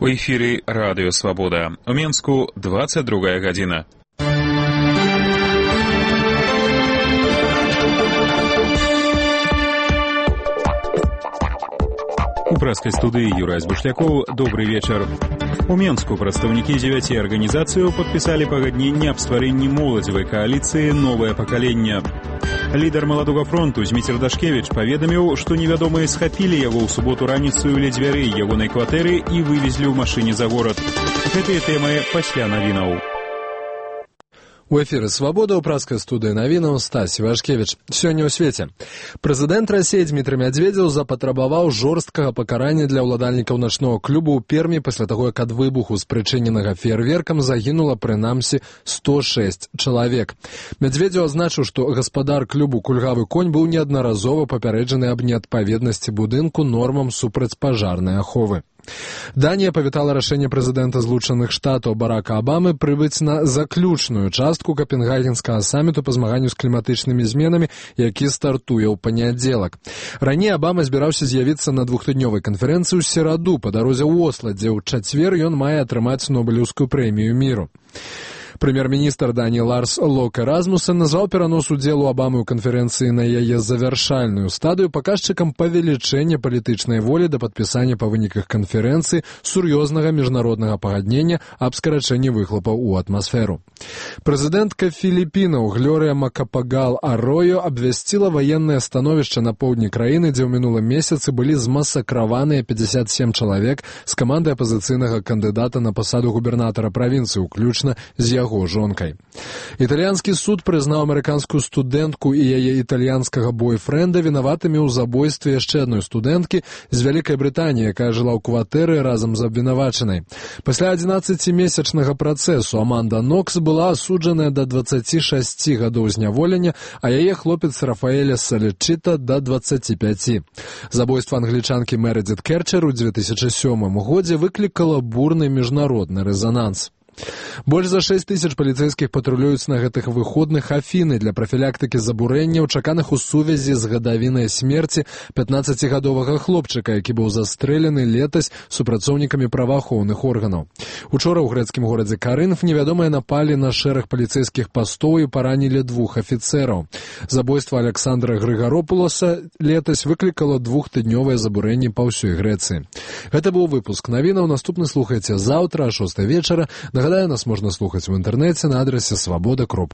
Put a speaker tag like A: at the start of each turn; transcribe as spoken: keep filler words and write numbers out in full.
A: У эфіры радыё Свабода. У Менску двадцать другая гадзіна. У прэскай студыі Юрай Збушлякоў. Добры вечар. У Менску прадстаўнікі дзевяці арганізацыяў падпісалі пагадненне аб стварэнні моладзевай кааліцыі «Новае пакаленне». Лідар маладога фронту Зміцер Дашкевіч паведаміў, што невядомыя схапілі яго ў суботу раніцаю ля дзвярэй ягонай кватэры і вывезлі ў машыне за горад. Гэтыя тэмы пасля навінаў.
B: У эфіры «Свабода» ў праскай студыі навінаў Стась Івашкевіч. Сёння ў свеце. Прэзідэнт Расіі Дмітрый Мядзведзеў запатрабаваў жорсткага пакарання для ўладальнікаў начнога клубу ў Пермі пасля таго, як ад выбуху, спрычыненага феерверкам, загінула прынамсі сто шэсць чалавек. Мядзведзеў азначыў, што гаспадар клубу «Кульгавы конь» быў неаднаразова папярэджаны аб неадпаведнасці будынку нормам супрацьпажарнай аховы. Данія павітала рашэнне прэзідэнта Злучаных Штатаў Барака Абамы прыбыць на заключную частку капенгагенскага саміту па змаганню з кліматычнымі зменамі, які стартуе ў панядзелак. Раней Абама збіраўся з'явіцца на двухтыднёвай канферэнцыі ў сераду па дарозе ў Осла, дзе ў чацвер ён мае атрымаць Нобелеўскую прэмію міру. Прэм'ер-міністр Даніі Ларс Локе Расмуссен назваў перанос удзелу Абамы ў канферэнцыі на яе завяршальную стадыю паказчыкам павелічэння палітычнай волі да падпісання па выніках канферэнцыі сур'ёзнага міжнароднага пагаднення аб скарачэнні выхлопаў у атмасферу. Прэзідэнтка Філіпінаў Глорыя Макапагал Аройо абвясціла ваеннае становішча на поўдні краіны, дзе ў мінулым месяцы былі змасакраваныя пятьдесят семь чалавек з камандай апазіцыйнага кандыдата на пасаду губернатара правінцыі, уключна з яго жонкай. Італьянскі суд прызнаў амерыканскую студэнтку і яе італьянскага бойфрэнда вінаватымі ў забойстве яшчэ адной студэнткі з Вялікай Брытаніі, якая жыла ў кватэры разам з абвінавачанай. Пасля адзінаццацімесячнага працэсу Аманда Нокс была асуджаная да дваццаці шасці гадоў зняволення, а яе хлопец Рафаэля Салечыта да дваццаці пяці. Забойства англічанкі Мередзіт Керчер у две тысячы сёмым годзе выклікала бурны міжнародны рэзананс. Больш за шэсць тысяч паліцэйскіх патрулююць на гэтых выходных Афіны для прафілактыкі забурэнняў, чаканых у сувязі з гадавінай смерці пятнаццацігадовага хлопчыка, які быў застрэлены летась супрацоўнікамі праваахоўных органаў. Учора ў грэцкім горадзе Карынф невядомыя напалі на шэраг паліцэйскіх пастоў і паранілі двух афіцэраў. Забойства Александра Грыгаропуласа летась выклікала двухтыднёвае забурэнне па ўсёй Грэцыі. Гэта быў выпуск навінаў. Наступны слухайце заўтра а шостай вечара. Нагадаю, нас можна слухаць у інтэрнэце на адрасе свабода.